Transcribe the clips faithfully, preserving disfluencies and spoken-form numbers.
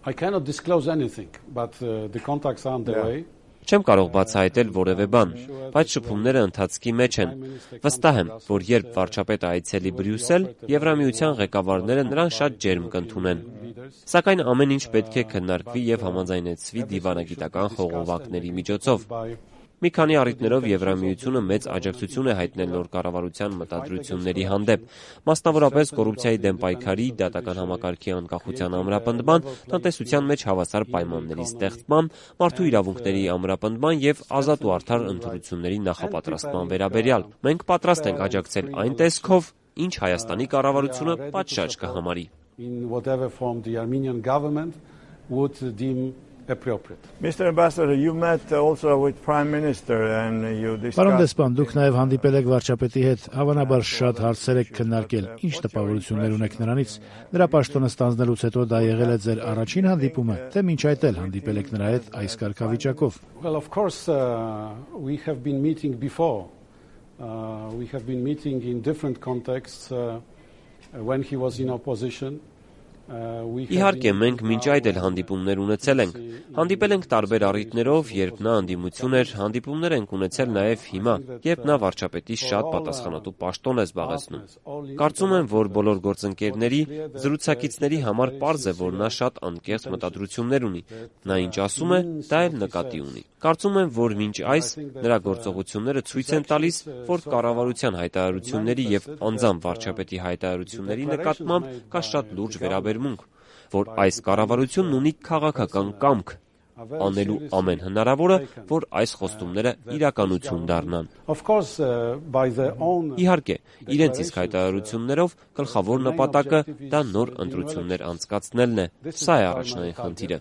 I cannot disclose anything, but uh, the contacts are underway. Չեմ կարող բացահայտել որևէ բան, բայց շփումները ընթացքի մեջ են։ Վստահ եմ, որ երբ վարչապետը այցելի Բրյուսել, Եվրամիության ղեկավարները նրան շատ ջերմ կընդունեն։ Սակայն ամեն ինչ պետք է քննարկվի եւ համաձայնեցվի դիվանագիտական խողովակների միջոցով։ Մի քանի առիթներով Եվրամիությունը մեծ աջակցություն է հայտնել նոր կառավարության մտադրությունների հանդեպ, մասնավորապես կոռուպցիայի դեմ պայքարի, դատական համակարգի անկախության ամրապնդման, տնտեսության մեջ հավասար պայմանների ստեղծման, մարդու իրավունքների ամրապնդման եւ ազատ ու արդար ընտրությունների նախապատրաստման վերաբերյալ։ Մենք պատրաստ ենք աջակցել այն տեսքով, ինչ Հայաստանի կառավարությունը պատշաճ կհամարի։ Mister Ambassador, you met also with Prime Minister and you discussed. Պարոն դեսպան, դուք նաև հանդիպել եք վարչապետի հետ, հավանաբար շատ հարցեր եք քննարկել։ Ինչ տպավորություններ ունեք նրանից։ Նրա պաշտոնը ստանձնելուց հետո դա եղել է ձեր առաջին հանդիպումը, թե մինչ այդ էլ հանդիպել եք նրա հետ այս կարգավիճակով։ Well, of course, uh, we have been meeting before. Uh, we have been meeting in different contexts uh, when he was in opposition. Իհարկե, մենք մինչ այդ էլ հանդիպումներ ունեցել ենք։ Հանդիպել ենք տարբեր առիթներով, երբ նա անդիմություն էր, հանդիպումներ ենք ունեցել նաև հիմա, երբ նա վարչապետի շատ պատասխանատու պաշտոն է զբաղեցնում։ Կարծում եմ, որ բոլոր գործընկերների, զրուցակիցների համար պարզ է, որ նա շատ անկեղծ մտադրություններ ունի։ Նա ինչ ասում է, դա էլ նկատի ունի։ Կարծում եմ, որ մինչ այս նրա գործողությունները ցույց են տալիս, որ կառավարության հայտարարությունների եւ անձամբ վարչապետի հայտարարությունների նկատմամբ կա շատ լուրջ վերաբերմունք, որ այս կառավարությունն ունի քաղաքական կամք անելու ամեն հնարավորը, որ այս խոստումները իրականություն դառնան։ Իհարկե, իրենց իսկ հայտարարություններով գլխավոր նպատակը դա նոր ընտրություններ անցկացնելն է։ Սա է առաջնային խնդիրը։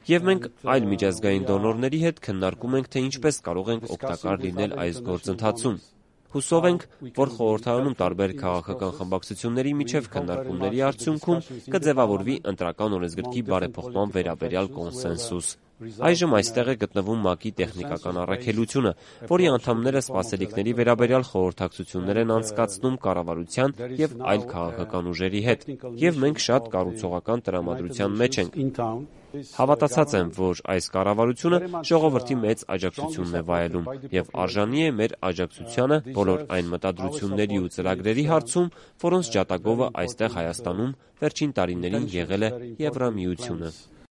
Եվ մենք այլ միջազգային դոնորների հետ քննարկում ենք, թե ինչպես կարող ենք օգտակար լինել այս գործընթացում։ Հուսով ենք, որ խորհրդարանում տարբեր քաղաքական խմբակցությունների միջև քննարկումների արդյունքում կձևավորվի ընտրական օրենսգրքի բարեփոխման վերաբերյալ կոնսենսուս։ Այժմ այստեղ է գտնվում ՄԱԿ-ի տեխնիկական առաքելությունը, որի անդամները սպասելիքների վերաբերյալ խորհրդակցություններ են անցկացնում կառավարության եւ այլ քաղաքական ուժերի հետ, եւ մենք շատ կառուցողական տրամադրության մեջ ենք։ Հավատացած եմ, որ այս կառավարությունը ժողովրդի մեծ աջակցությունն է վայելում եւ արժանի է մեր աջակցությանը բոլոր այն մտադրությունների ու ծրագրերի հարցում, որոնց ջատագովը այստեղ Հայաստանում վերջին տարիներին եղել է Եվրամիությունը։